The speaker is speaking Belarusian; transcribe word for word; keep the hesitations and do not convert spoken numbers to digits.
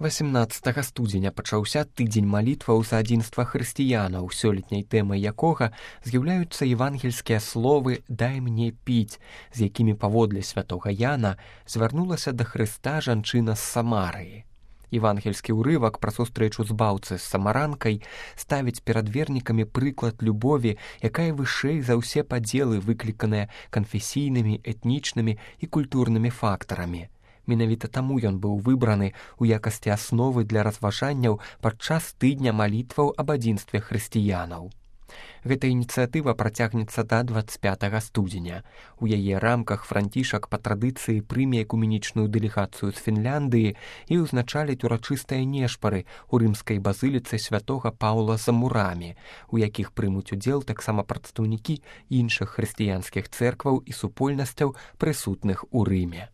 васямнаццатага студзеня пачаўся тыдзень малітваў за адзінства хрысціянаў, сёлетняй тэмай якога з'яўляюцца евангельскія словы «Дай мне піць», з якімі паводле святога Яна звярнулася да Хрыста жанчына з Самарыі. Евангельскі ўрывак пра сустрэчу збаўцы з самаранкай ставіць перад вернікамі прыклад любові, якая вышэй за ўсе падзелы, выкліканыя канфесійнымі, этнічнымі і культурнымі фактарамі. Менавіта таму ён быў выбраны ў якасці асновы для разважанняў падчас тыдня малітваў аб адзінстве хрысціянаў. Гэта ініцыятыва працягнецца да дваццаць пятага студзеня. У яе рамках Францішак па традыцыі прыме экуменічную дэлегацыю з Фінляндыі і ўзначаліць урачыстыя нешпары ў рымскай базыліцы святога Паўла за мурамі, у якіх прымуць удзел таксама прадстаўнікі іншых хрысціянскіх цэркваў і супольнасцяў, прысутных у Рыме.